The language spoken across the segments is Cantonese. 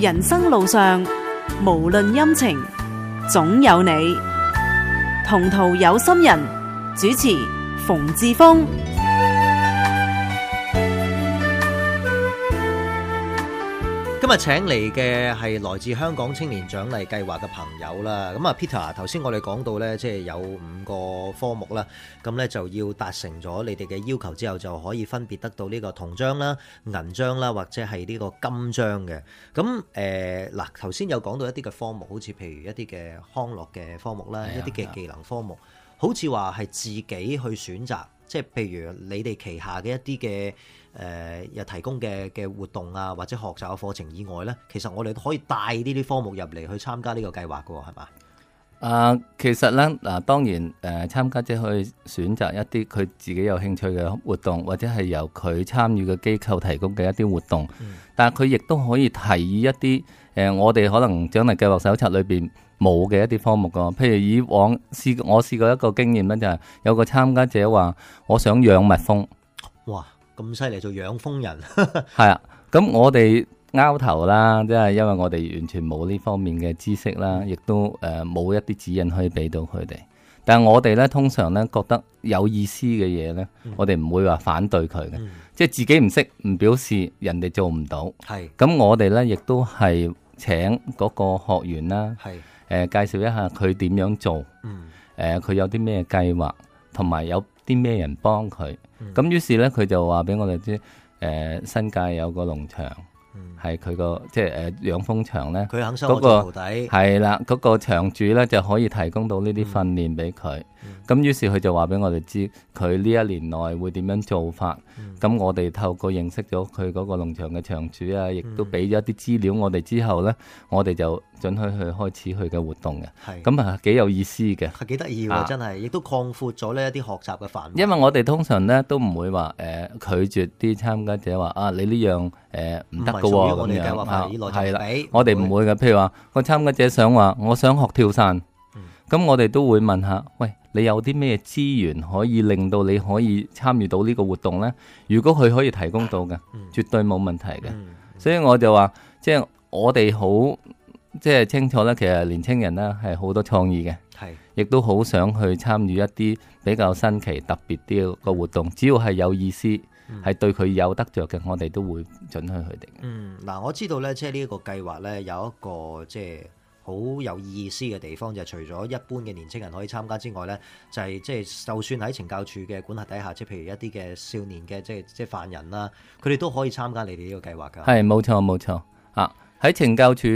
人生路上，無論陰晴，總有你。同途有心人主持馮志峰。今日請嚟嘅係來自香港青年獎勵計劃嘅朋友啦。咁啊 Peter， 頭先我哋講到呢，即係有5個科目啦，咁呢就要達成咗你哋嘅要求之後，就可以分別得到呢個銅章啦、銀章啦，或者係呢個金章嘅。咁嗱，頭先有講到一啲嘅科目，好似譬如一啲嘅康樂嘅科目啦，一啲嘅技能科目，好似話係自己去選擇，即係譬如你哋旗下嘅一啲嘅又提供嘅活動啊，或者學習嘅課程以外呢，其實我哋都可以帶呢啲科目入嚟去參加呢個計劃嘅喎，係嘛？其實呢，當然參加者可以選擇一啲佢自己有興趣嘅活動，或者係由佢參與嘅機構提供嘅一啲活動。但係佢亦都可以提議一啲我哋可能獎勵計劃手冊裏邊冇嘅一啲科目噶。譬如以往我試過一個經驗呢，就係有個參加者話我想養蜜蜂。哇！咁犀利，做養蜂人係啊，咁我哋拗頭啦，即係因為我哋完全冇呢方面嘅知識啦，亦都冇一啲指引可以俾到佢哋。但係我哋咧通常咧覺得有意思嘅嘢咧，我哋唔會話反對佢嘅，即係自己唔識唔表示人哋做唔到。係咁，我哋咧亦都係請嗰個學員啦，介紹一下佢點樣做，佢有啲咩計劃，同埋有啲咩人幫佢。咁於是咧，佢就話俾我哋知，新界有個農場，係佢個即係養蜂場咧，佢肯收我做徒弟，係啦，嗰個場主咧就可以提供到呢啲訓練俾佢。咁於是佢就話俾我哋知，佢呢一年內會點樣做法。咁我哋透過認識咗佢嗰個農場嘅場主啊，亦都俾咗一啲資料我哋之後咧，我哋就准許佢開始佢嘅活動嘅。咁啊幾有意思嘅，係幾得意喎，真係，亦都擴闊咗呢一啲學習嘅範圍。因為我哋通常咧都唔會話拒絕啲參加者話你呢樣唔得㗎喎咁樣係啦，我哋唔會嘅。譬如話個參加者想話我想學跳傘，咁我哋都會問下，喂，你有啲咩資源可以令到你可以參與到呢個活動呢？如果佢可以提供到嘅，絕對冇問題嘅。所以我就話，即係我哋好即係清楚咧，其實年青人呢係好多創意嘅，亦都好想去參與一啲比較新奇特別啲嘅活動。只要係有意思，係對佢有得着嘅，我哋都會准許佢哋。嗱，我知道呢，即係呢一個計劃呢，有一個即係好有意思嘅地方，就係除咗一般嘅年青人可以參加之外呢，就係即係就算喺懲教署嘅管轄底下，即係譬如一啲嘅少年嘅即係犯人啦，佢哋都可以參加你哋呢個計劃㗎。係冇錯冇錯啊！喺懲教署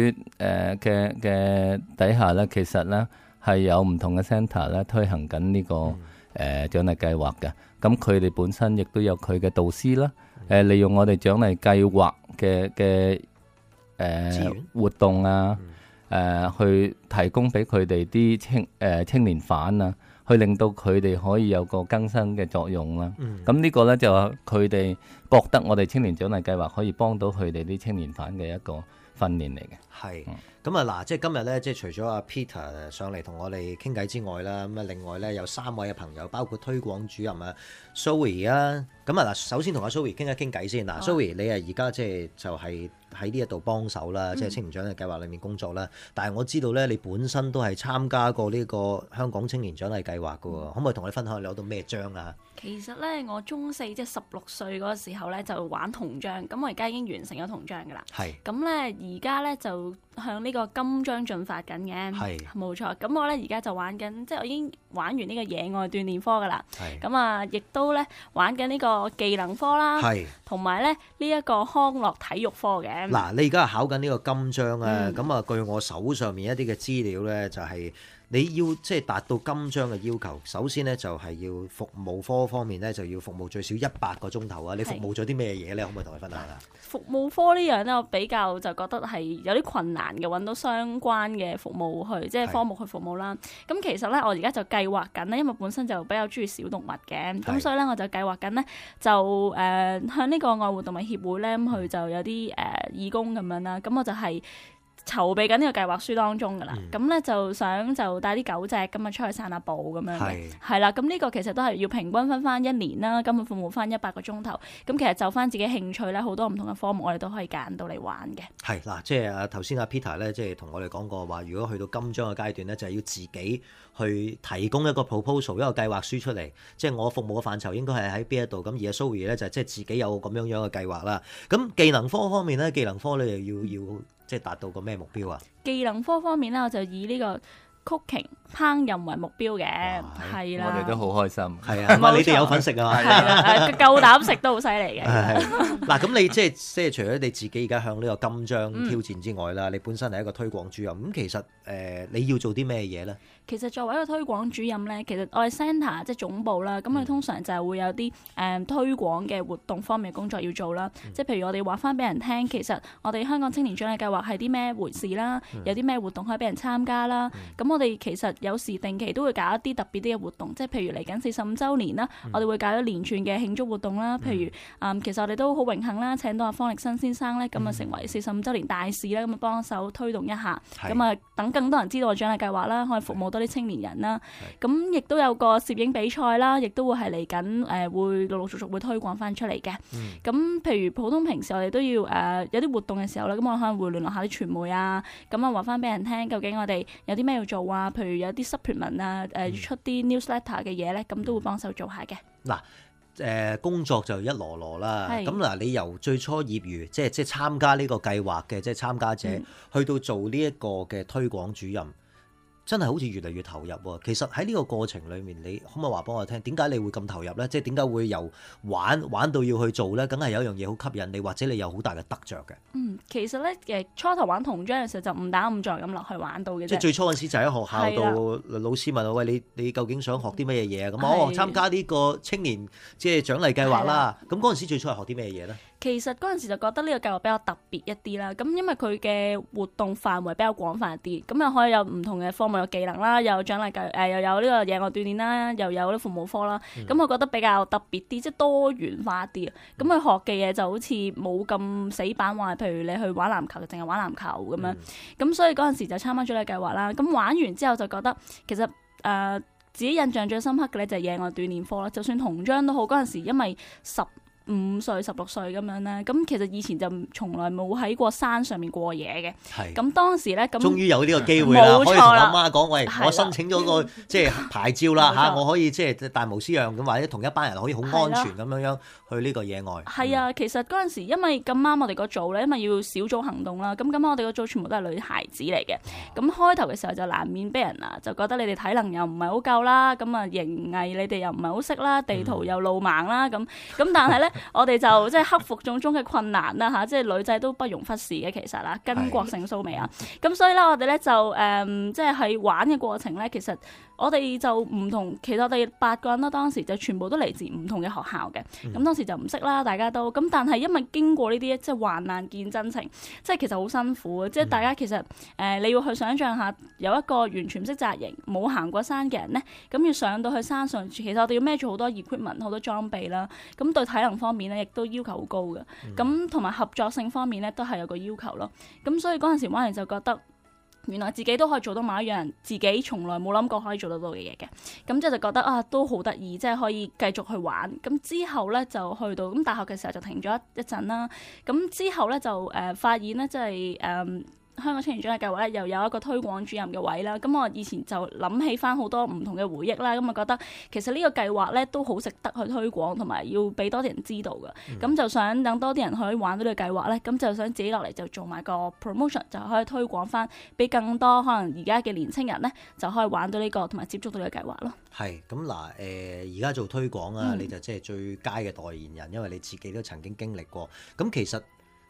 嘅底下呢，其實呢係有唔同嘅 centre 咧推行緊呢個獎勵計劃嘅。咁佢哋本身亦都有佢嘅導師啦，利用我哋獎勵計劃嘅活動啊。去提供俾佢哋啲青年犯啊，去令到佢哋可以有個更新嘅作用啦。咁呢個呢，就係佢哋覺得我哋青年獎勵計劃可以幫到佢哋啲青年犯嘅一個訓練嚟嘅。係咁啊嗱，即係今日呢，即係除咗阿 Peter 上嚟同我哋傾偈之外啦，咁啊另外呢，有3位嘅朋友，包括推廣主任啊 Zoe 啊。咁啊嗱，首先同阿 Zoe 傾一傾偈先嗱。Zoe 你而家即係就係喺呢一度幫手啦，即係青年獎勵計劃裏面工作啦。但係我知道咧，你本身都係參加過呢個香港青年獎勵計劃㗎喎，可唔可以同我哋分享你攞到咩章啊？其實咧，我中4即係16歲嗰個時候咧，就玩銅章。咁我而家已經完成咗銅章㗎啦。係。咁咧，而家咧就向呢個金章進發緊嘅。係。冇錯。咁我咧而家就玩緊，即係我已經玩完呢個野外鍛鍊科㗎啦。係。咁啊，亦都咧玩緊呢個技能科啦。係。同埋咧呢一個康樂體育科嘅。嗱，你而家係考緊呢個金章啊。咁啊，據我手上面一啲嘅資料咧，就係你要即係達到金章嘅要求，首先咧就係要服務科方面咧就要服務最少100個鐘頭啊！你服務咗啲咩嘢咧？可唔可以同我分享下？服務科呢樣咧，我比較就覺得係有啲困難嘅，揾到相關嘅服務去即係科目去服務啦。咁其實咧，我而家就計劃緊咧，因為本身就比較中意小動物嘅，咁所以咧我就計劃緊咧就向呢個愛護動物協會咧，咁佢就有啲義工咁樣啦。咁我就係籌備緊呢個計劃書當中㗎啦，咁咧就想就帶啲狗隻咁啊出去散下步咁樣嘅，係啦，咁呢個其實都係要平均分翻1年啦，根本服務翻100個鐘頭，咁其實就翻自己興趣咧，好多唔同嘅科目我哋都可以揀到嚟玩嘅。係嗱，即係頭先阿 Peter 咧，即係同我哋講過話，如果去到金章嘅階段咧，就係要自己去提供一個 proposal 一個計劃書出嚟，即係我服務嘅範疇應該係喺邊一度，咁而阿 Zoe 咧就即係自己有咁樣嘅計劃啦。咁技能科方面咧，技能科咧又要即係達到個咩目標啊？技能科方面咧，我就以呢個 cooking 烹飪為目標嘅，係啦。我哋都好開心，係啊，你哋有份食啊？係啦，夠膽食都好犀利嘅。嗱，咁你即係除咗你自己而家向呢個金章挑戰之外啦，你本身係一個推廣主任，咁其實你要做啲咩嘢咧？其實作為一個推廣主任咧，其實我哋 centre 即係總部啦，咁我哋通常就係會有啲推廣嘅活動方面嘅工作要做啦。即係譬如我哋話翻俾人聽，其實我哋香港青年獎勵計劃係啲咩回事啦，有啲咩活動可以俾人參加啦。咁我哋其實有時定期都會搞一啲特別啲嘅活動，即係譬如嚟緊45週年啦，我哋會搞一連串嘅慶祝活動啦。譬如其實我哋都好榮幸啦，請到阿方力申先生咧，咁啊成為45週年大使啦，咁啊幫手推動一下，咁啊等更多人知道個獎勵計劃啦，可以服務多啲青年人啦。咁亦都有個攝影比賽啦，亦都會係嚟緊會陸陸續續會推廣翻出嚟嘅。咁譬如普通平時我哋都要有啲活動嘅時候咧，咁我可能會聯絡下啲傳媒啊，咁啊話翻俾人聽，究竟我哋有啲咩要做啊？譬如有啲 supplement 啊，出啲 newsletter 嘅嘢咧，咁都會幫手做下嘅。嗱，工作就一籮籮啦。咁嗱，你由最初業餘即係參加呢個計劃嘅即係參加者，去到做呢一個嘅推廣主任，真係好似越嚟越投入喎。其實喺呢個過程裡面，你可唔可以話俾我聽，點解你會咁投入咧？即係點解會由玩到要去做咧？梗係有一樣嘢好吸引你，或者你有好大嘅得着嘅。其實咧初頭玩童裝嘅時候就誤打誤撞咁落去玩到嘅啫。即係最初嗰陣時就喺學校度，老師問我：喂，你究竟想學啲乜嘢嘢啊？咁參加呢個青年即係獎勵計劃啦。咁嗰陣時最初係學啲咩嘢咧？其實嗰陣時就覺得呢個計劃比較特別一啲啦，咁因為佢嘅活動範圍比較廣泛一啲，咁又可以有唔同嘅科目，有技能啦，又有獎勵計又有呢個野外鍛鍊啦，又有啲服務科啦，咁我覺得比較特別啲，即係多元化啲啊。咁佢學嘅嘢就好似冇咁死板話，譬如你去玩籃球就淨係玩籃球咁樣，咁所以嗰陣時就參加咗呢個計劃啦。咁玩完之後就覺得其實自己印象最深刻嘅咧就係野外鍛鍊科啦。就算童裝都好，嗰陣時因為15歲、16歲咁樣咧，咁其實以前就從來冇喺過山上面過夜嘅。咁當時咧，咁終於有呢個機會啦，可以同阿媽講：喂，我申請咗個即係牌照啦嚇，我可以即係大模斯樣咁，或者同一班人可以好安全咁樣去呢個野外。係啊，其實嗰陣時因為咁啱我哋個組咧，因為要小組行動啦，咁我哋個組全部都係女孩子嚟嘅。咁開頭嘅時候就難免俾人就覺得你哋體能又唔係好夠啦，咁啊營藝你哋又唔係好識啦，地圖又路盲啦，咁但係咧。我哋就即係克服種種嘅困難啦嚇，即係女仔都不容忽視嘅其實啦，巾幗性騷味啊，咁所以咧我哋咧就即係喺玩嘅過程咧，其實我哋就唔同，其實我哋8個人啦，當時就全部都嚟自唔同嘅學校嘅，咁當時就唔識啦，大家都咁，但係因為經過呢啲即係患難見真情，即係其實好辛苦嘅，即係大家其實你要去想像下，有一個完全唔識紮營、冇行過山嘅人咧，咁要上到去山上，其實我哋要孭住好多 equipment、好多裝備啦，咁對體能方面咧，亦都要求好高嘅，咁同埋合作性方面咧，都係有個要求咯。咁所以嗰陣時玩完就覺得，原來自己都可以做到某一樣自己從來冇諗過可以做得到嘅嘢嘅。咁即係就覺得都好得意，即係可以繼續去玩。咁之後咧就去到咁大學嘅時候就停咗一陣啦。咁之後咧就發現咧即係香港青年獎勵計劃咧又有一個推廣主任嘅位啦，咁我以前就諗起翻好多唔同嘅回憶啦，咁啊覺得其實呢個計劃咧都好值得去推廣，同埋要俾多啲人知道嘅，咁就想等多啲人可以玩到呢個計劃咧，咁就想自己落嚟就做埋個 promotion， 就可以推廣翻俾更多可能而家嘅年青人咧就可以玩到呢個同埋接觸到呢個計劃咯。係咁嗱，而家做推廣啊，你就即係最佳嘅代言人，因為你自己都曾經經歷過。咁其實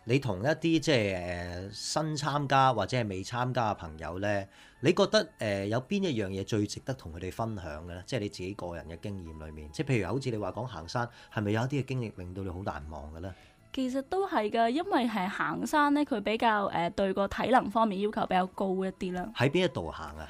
你同一啲即係新參加或者係未參加嘅朋友咧，你覺得有邊一樣嘢最值得同佢哋分享嘅咧？即係你自己個人嘅經驗裏面，即係譬如好似你話講行山，係咪有一啲嘅經歷令到你好難忘嘅咧？其實都係㗎，因為係行山咧，佢比較對個體能方面要求比較高一啲啦。喺邊一度行啊？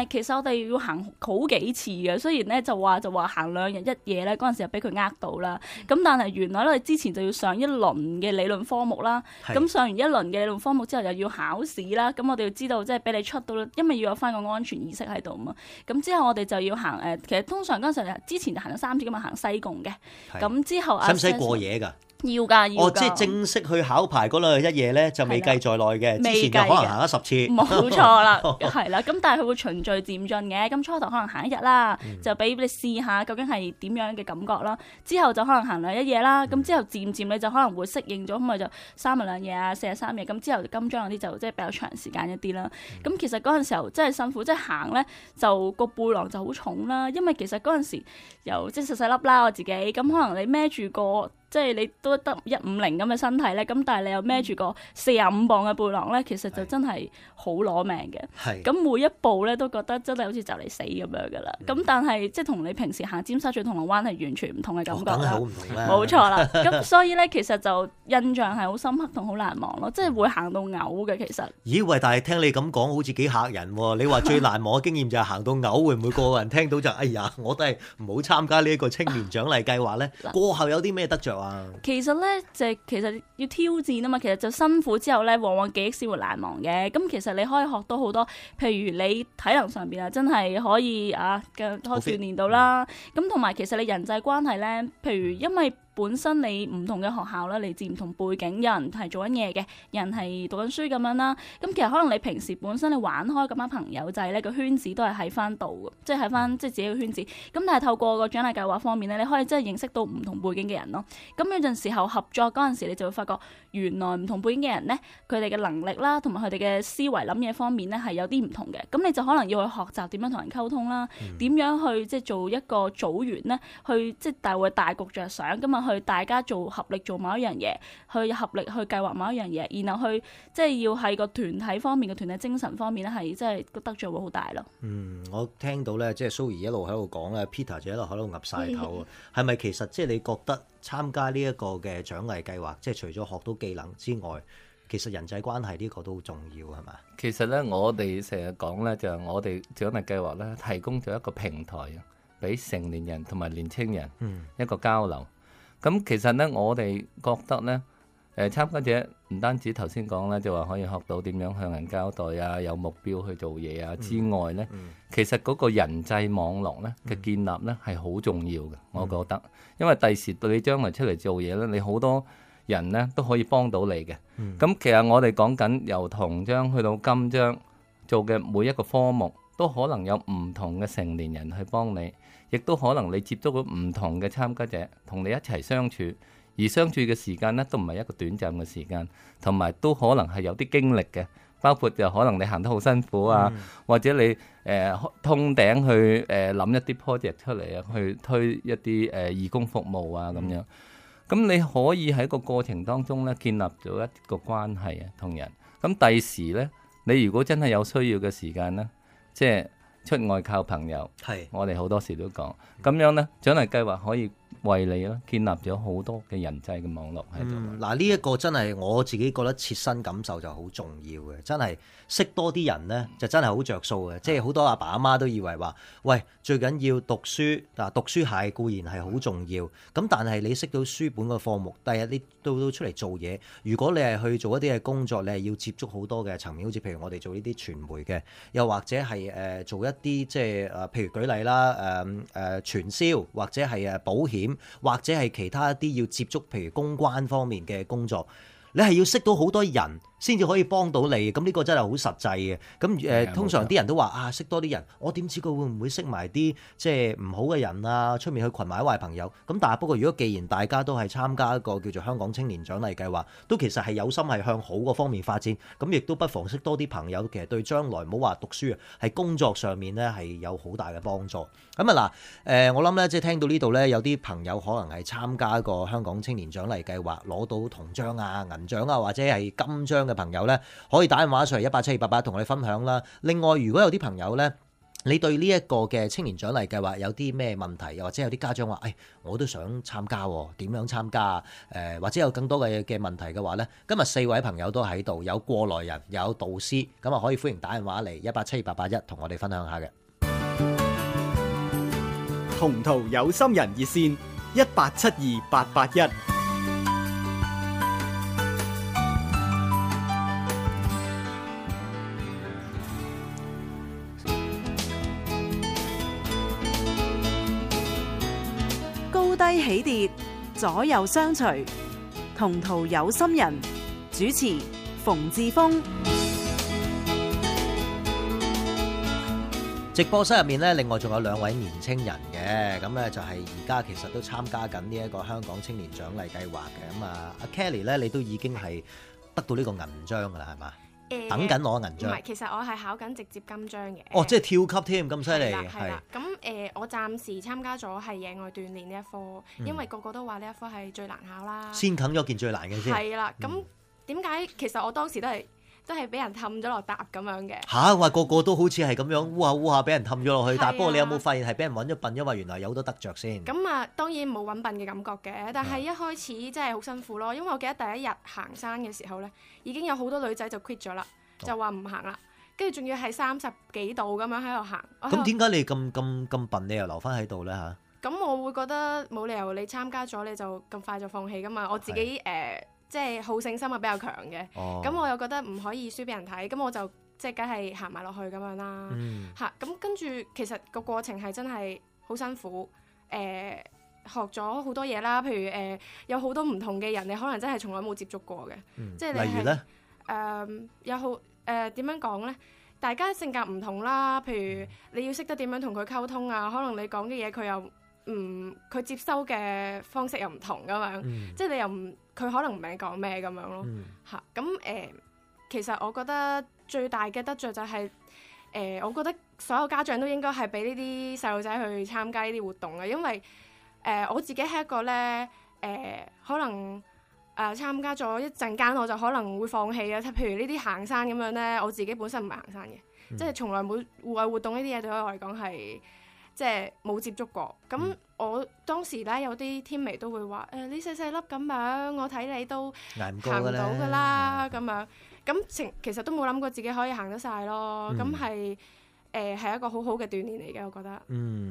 其實我哋要行好幾次嘅，雖然咧就話行2日1夜咧，嗰陣時就俾佢呃到啦。咁但係原來咧，之前就要上一輪嘅理論科目啦。咁上完一輪嘅理論科目之後，又要考試啦。咁我哋要知道即係俾你出到，因為要有翻個安全意識喺度嘛。咁之後我哋就要行其實通常嗰陣時之前就行咗3次咁啊，行西貢嘅。咁之後使唔使過夜㗎？要㗎。即係正式去考牌嗰2日1夜咧，就未計在內嘅。之前就可能行咗10次。冇錯啦，係啦。咁但係佢會循序漸進嘅。咁初頭可能行1日啦，就俾你試下究竟係點樣嘅感覺啦。之後就可能行2日1夜啦。咁之後漸漸你就可能會適應咗，咁咪就3日2夜啊，4日3夜。咁之後金章嗰啲就即係比較長時間一啲啦。咁其實嗰陣時候真係辛苦，即係行咧就個背囊就好重啦。因為其實嗰陣時又即係細細粒啦，我自己咁可能你孭住個。即係你都得150咁嘅身體咧，咁但係你又孭住個45磅嘅背囊咧，其實就真係好攞命嘅。咁每一步咧都覺得真係好似就嚟死咁樣噶啦。咁但係即係同你平時行尖沙咀銅鑼灣係完全唔同嘅感覺啦。好唔同啦。冇錯啦。咁所以咧，其實就印象係好深刻同好難忘咯，即係會行到嘔嘅其實。咦喂！但係聽你咁講，好似幾嚇人喎。你話最難忘嘅經驗就係行到嘔，會唔會個個人聽到就哎呀，我都係唔好參加呢一個青年獎勵計劃咧？過後有啲咩得着？其實咧其實要挑戰啊嘛，其實就辛苦之後咧，往往記憶先會難忘嘅。咁其實你可以學到好多，譬如你體能上邊啊，真係可以可以鍛鍊到啦。咁同埋其實你人際關係咧，譬如因為本身你唔同嘅學校啦，嚟自唔同背景，有人係做緊嘢嘅，有人係讀緊書咁樣啦。咁其實可能你平時本身你玩開咁班朋友仔咧，個圈子都係喺翻度嘅，即係喺翻即係自己嘅圈子。咁但係透過個獎勵計劃方面咧，你可以真係認識到唔同背景嘅人咯。咁有陣時候合作嗰陣時，你就會發覺原來唔同背景嘅人咧，佢哋嘅能力啦，同埋佢哋嘅思維諗嘢方面咧係有啲唔同嘅。咁你就可能要去學習點樣同人溝通啦，點樣去即係做一個組員咧，去即係大局着想咁啊。去大家合力做某一樣嘢，去合力去計劃某一樣嘢，然後去即係要喺個團體方面嘅團體精神方面咧，係即係個得著會好大咯。我聽到咧，即係蘇怡一路喺度講咧 ，Peter 就一路喺度岌晒頭啊。係咪其實即係你覺得參加呢一個嘅獎勵計劃，即係除咗學到技能之外，其實人際關係呢個都好重要係嘛？其實咧，我哋成日講咧，就係我哋獎勵計劃咧，提供咗一個平台，俾成年人同埋年青人一個交流。咁其實咧，我哋覺得咧，參加者唔單止頭先講咧，就話可以學到點樣向人交代啊，有目標去做嘢啊之外咧，其實嗰個人際網絡咧嘅建立咧係好重要嘅，我覺得，因為第時對你將來出嚟做嘢咧，你好多人咧都可以幫到你嘅。咁其實我哋講緊由銅章去到金章做嘅每一個科目，都可能有唔同嘅成年人去幫你。亦都可能你接觸到唔同嘅參加者，同你一齊相處，而相處嘅時間呢，都唔係一個短暫嘅時間，同埋都可能係有啲經歷嘅，包括就可能你行得好辛苦啊，或者你通頂去諗一啲 project 出嚟啊，去推一啲義工服務啊咁樣。咁你可以喺個過程當中呢，建立咗一個關係啊，同人。咁第時呢，你如果真係有需要嘅時間呢，即係出外靠朋友，我哋好多時都講咁樣呢，獎勵計劃可以為你啦建立咗好多嘅人際嘅網絡喺度。嗱，呢一個真係我自己覺得切身感受就好重要嘅，真係識多啲人呢，就真係好着數嘅。即係好多阿爸阿媽都以為話，喂，最緊要讀書嗱，讀書係固然係好重要，咁但係你識到書本嘅科目，第日你到出嚟做嘢，如果你係去做一啲嘅工作，你係要接觸好多嘅層面，好似譬如我哋做呢啲傳媒嘅，又或者係做一啲即係譬如舉例啦，傳銷或者係保險，或者係其他一啲要接觸譬如公關方面嘅工作，你係要識到好多人先至可以幫到你，咁呢個真係好實際嘅。咁通常啲人都話識多啲人，我點知佢會唔會識埋啲即係唔好嘅人啊？出面去群埋壞朋友。咁但係不過，如果既然大家都係參加一個叫做香港青年獎勵計劃，都其實係有心係向好嗰方面發展，咁亦都不妨識多啲朋友。其實對將來唔好話讀書啊，係工作上面咧係有好大嘅幫助。咁啊嗱，我諗咧即係聽到呢度咧，有啲朋友可能係參加一個香港青年獎勵計劃，攞到銅章啊、銀獎啊或者係金章嘅朋友咧，可以打電話上嚟187-288同我哋分享啦。另外，如果有啲朋友咧你對呢一個嘅青年獎勵計劃有啲咩問題？又或者有啲家長話，我都想參加喎，點樣參加啊？或者有更多嘅問題嘅話呢，今日4位朋友都喺度，有過來人，有導師，咁啊可以歡迎打電話嚟1872881同我哋分享下嘅。同途有心人熱線187281。高低起跌，左右相隨，同途有心人，主持馮志峰。直播室入面咧，另外仲有2位年青人嘅，咁咧就係而家其實都參加緊呢一個香港青年獎勵計劃嘅。咁啊，阿 Kelly 咧，你都已經係得到呢個銀章噶啦，係嘛？等緊攞銀章。唔係，其實我係考緊直接金章嘅。哦，即係跳級添，咁犀利。係啦。咁我暫時參加咗係野外鍛鍊呢一科，因為個個都話呢一科係最難考啦。先啃咗件最難嘅先。係啦。咁點解其實我當時都係俾人氹咗落搭咁樣嘅。嚇！話個個都好似係咁樣烏下烏下俾人氹咗落去，但係不過你有冇發現係俾人揾咗笨，因為原來有好多得着先。咁啊，當然冇揾笨嘅感覺嘅，但係一開始真係好辛苦咯，因為我記得第一日行山嘅時候咧，已經有好多女仔就 quit 咗啦，就話唔行啦，跟住仲要係30幾度咁樣喺度行。咁點解你咁笨，你又留翻喺度咧嚇？咁我會覺得冇理由你參加咗你就咁快就放棄噶嘛，我自己即係好勝心係比較強嘅，咁我又覺得唔可以輸俾人睇，咁我就即係梗係行埋落去咁樣啦。嚇，咁跟住其實個過程係真係好辛苦，學咗好多嘢啦，譬如有好多唔同嘅人，你可能真係從來冇接觸過嘅，即係你係例如咧有好點樣講咧？大家性格唔同啦，譬如你要識得點樣同佢溝通啊，可能你講嘅嘢佢又佢接收嘅方式又唔同咁樣，即係你又佢可能唔明你講咩咁樣咯嚇。咁其實我覺得最大嘅得着就係我覺得所有家長都應該係俾呢啲細路仔去參加呢啲活動嘅，因為我自己係一個咧可能參加咗一陣間我就可能會放棄啊。譬如呢啲行山咁樣咧，我自己本身唔係行山嘅，即係從來冇戶外活動呢啲嘢對我嚟講係即係冇接觸過。咁我當時咧有啲天眉都會話你細細粒咁樣，我睇你都行唔到㗎啦咁樣。咁其實都冇諗過自己可以行得晒咯。咁係一個好好嘅鍛鍊嚟嘅，我覺得。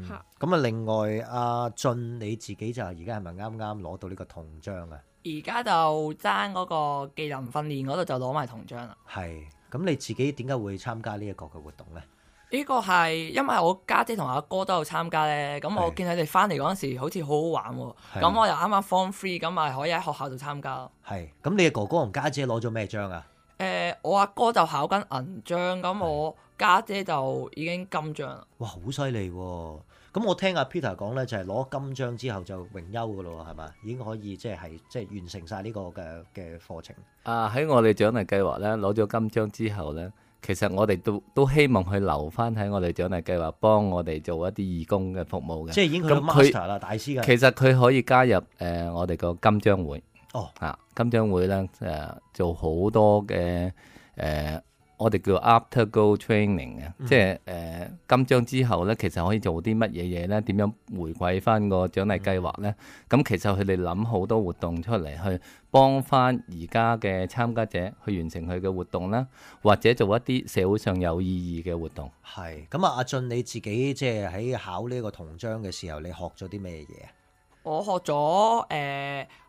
嚇。咁啊，另外阿俊你自己就而家係咪啱啱攞到呢個銅章啊？而家就爭嗰個技能訓練嗰度就攞埋銅章啦。係。咁你自己點解會參加呢一個嘅活動咧？呢個係因為我家姐同阿哥都有參加咧，咁我見佢哋翻嚟嗰陣時好似好好玩喎，咁我又啱啱 Form 3，咁咪可以喺學校度參加咯。係，咁你嘅哥哥同家姐攞咗咩章啊？我阿哥就考緊銀章，咁我家姐就已經金章啦。哇，好犀利喎！咁我聽阿 Peter 講咧，就係攞金章之後就榮休噶咯，係嘛？已經可以即係完成晒呢個嘅課程。喺我哋獎勵計劃咧，攞咗金章之後咧，其實我哋都希望佢留翻喺我哋獎勵計劃，幫我哋做一啲義工嘅服務嘅。即係已經去到 master 啦，大師嘅。其實佢可以加入我哋個金章會。哦，金章會咧做好多嘅我哋叫 after goal training 嘅，即係金章之後咧，其實可以做啲乜嘢嘢咧？點樣回饋翻個獎勵計劃咧？咁其實佢哋諗好多活動出嚟，去幫翻而家嘅參加者去完成佢嘅活動啦，或者做一啲社會上有意義嘅活動。係咁啊，阿俊你自己即係喺考呢個銅章嘅時候，你學咗啲咩嘢啊？我學咗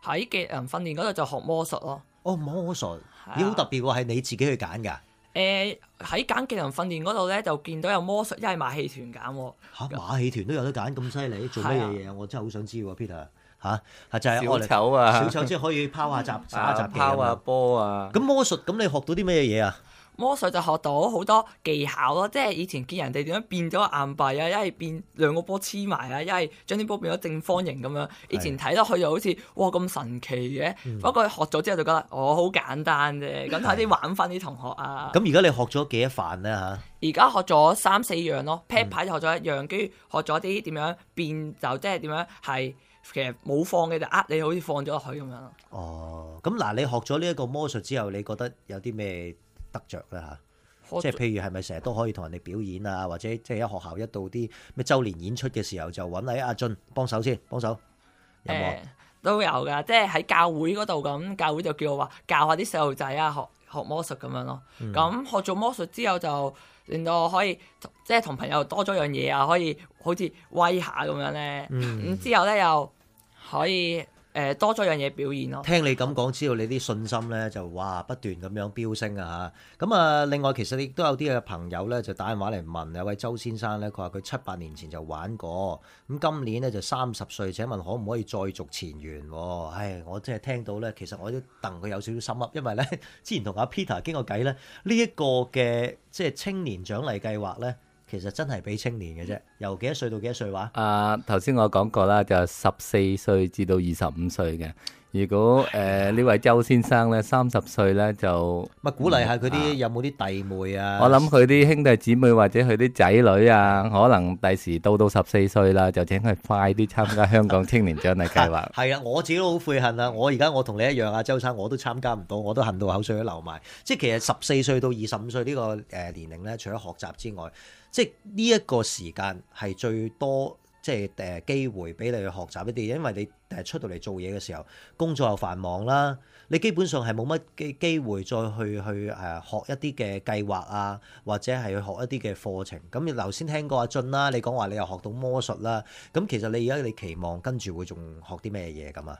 喺技能訓練嗰度就學魔術咯。哦，魔術，咦，好特別喎，係你自己去揀㗎？喺揀技能訓練嗰度咧，就見到有魔術，一係馬戲團揀喎。嚇，馬戲團都有得揀，咁犀利，做咩嘢啊？我真係好想知喎，Peter。就係小丑啊！小丑即係可以拋下雜耍下雜技啊，拋下波啊！咁魔術咁你學到啲咩嘢啊？魔術就學到好多技巧咯，即係以前見人哋點樣變咗硬幣啊，一係變兩個波黐埋啊，一係將啲波變咗正方形咁樣。以前睇落去就好似哇咁神奇嘅，不過學咗之後就覺得好簡單啫。咁睇啲玩翻啲同學啊。咁而家你學咗幾多範咧嚇？而家學咗3、4樣咯，pad 牌就學咗一樣，跟住學咗啲點樣變，就即係點樣係其實冇放嘅就你好似放咗落去咁樣咯。哦，咁嗱，你學咗呢一個魔術之後，你覺得有啲咩得着咧嚇？即係譬如係咪成日都可以同人哋表演啊，或者即係喺學校一到啲咩週年演出嘅時候就揾阿俊幫手先，幫手有冇？都有㗎，即係喺教會嗰度咁，教會就叫我話教下啲細路仔啊，學魔術咁樣咯。咁學做魔術之後就令到我可以即係同朋友多咗樣嘢啊，可以好似威下咁樣咧。咁之後咧又可以多咗樣嘢表演咯。聽你咁講，知道你啲信心咧就哇不斷咁樣飆升啊嚇！咁啊，另外其實亦都有啲嘅朋友咧就打電話嚟問，有位周先生咧，佢話佢7-8年前就玩過，咁今年咧就30歲，請問可唔可以再續前緣？唉，我真係聽到咧，其實我都戥佢有少少心噏，因為咧之前同阿 Peter 傾過偈咧，呢一個嘅即係青年獎勵計劃咧。其實真係俾青年嘅啫，由幾多歲到幾多歲話？頭先我講過啦，就14歲至到25歲嘅。如果呢位周先生咧30歲咧就咪鼓勵下佢啲有冇啲弟妹啊？我諗佢啲兄弟姊妹或者佢啲仔女啊，可能第時到14歲啦，就請佢快啲參加香港青年獎勵計劃。係啊，我自己都好悔恨啊！我同你一樣啊，周生我都參加唔到，我都恨到口水都流埋。即係其實14歲到25歲呢個年齡咧，除咗學習之外，即係呢一個時間係最多。即係機會俾你去學習一啲，因為你出到嚟做嘢嘅時候，工作又繁忙啦，你基本上係冇乜機會再去學一啲嘅計劃啊，或者係去學一啲嘅課程。咁你頭先聽過阿俊啦，你講話你又學到魔術啦，咁其實你而家你期望跟住會仲學啲咩嘢咁啊？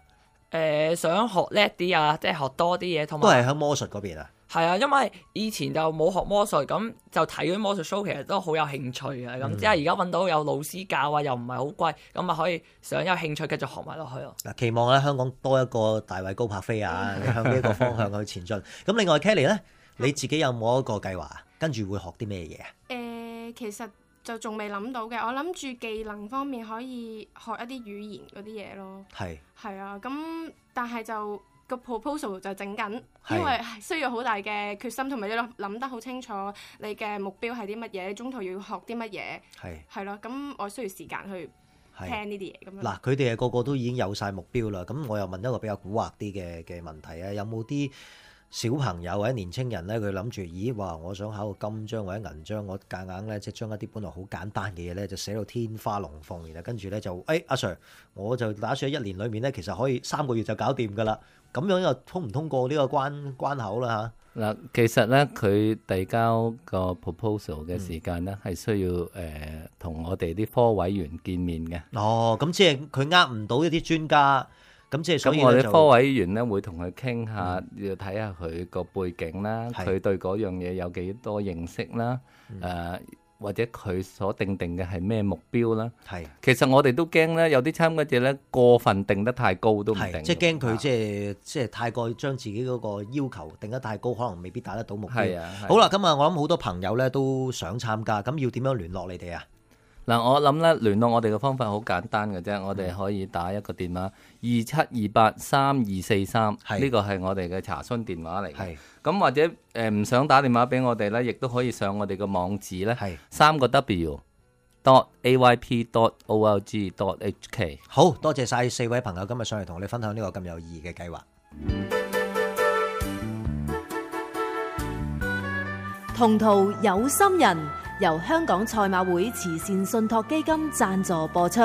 想學叻啲啊，即係學多啲嘢，同埋都係喺魔術嗰邊啊。係啊，因為以前就冇學魔術，咁就睇嗰啲魔術 show，其實都好有興趣嘅。咁即係而家揾到有老師教啊，又唔係好貴，咁啊可以想有興趣繼續學埋落去咯。嗱，期望咧香港多一個大衛高柏飛啊，向呢一個方向去前進。咁另外 Kelly 咧，你自己有冇一個計劃啊？跟住會學啲咩嘢啊？其實就仲未諗到嘅，我諗住技能方面可以學一啲語言嗰啲嘢咯。係啊，咁但係就個 proposal 就整緊，因為需要好大嘅決心，同埋要諗得好清楚你嘅目標係啲乜嘢，中途要學啲乜嘢。係咯，咁我需要時間去聽呢啲嘢咁樣。嗱，佢哋個個都已經有晒目標啦，咁我又問一個比較蠱惑啲嘅問題啊，有冇啲小朋友或者年青人咧，佢諗住，咦，哇！我想考個金章或者銀章，我夾硬咧即係將一啲本來好簡單嘅嘢咧，就寫到天花龍鳳，然後跟住咧就，阿 Sir，我就打算喺1年裏面咧，其實可以3個月就搞掂㗎啦。咁樣又通唔通過呢個關口啦嚇？嗱，其實咧佢遞交個 proposal 嘅時間咧係需要同我哋啲科委員見面嘅。哦，咁即係佢呃唔到一啲專家。咁即係所以我哋科委員咧會同佢傾下，要睇下佢個背景啦，佢對嗰樣嘢有幾多認識啦，或者佢所定嘅係咩目標啦。其實我哋都驚咧，有啲參加者咧過分定得太高都唔定。即係驚佢即係太過將自己嗰個要求定得太高，可能未必達得到目標。好啦，咁啊，我諗好多朋友咧都想參加，咁要點樣聯絡你哋啊？嗱，我諗咧聯絡我哋嘅方法好簡單嘅啫，我哋可以打一個電話27283243，呢個係我哋嘅查詢電話嚟嘅。咁或者唔想打電話俾我哋咧，亦都可以上我哋嘅網址咧，3個W.ayp.org.hk。好多謝晒4位朋友今日上嚟同我哋分享呢個咁有意義嘅計劃。同途有心人，由香港賽馬會慈善信託基金贊助播出。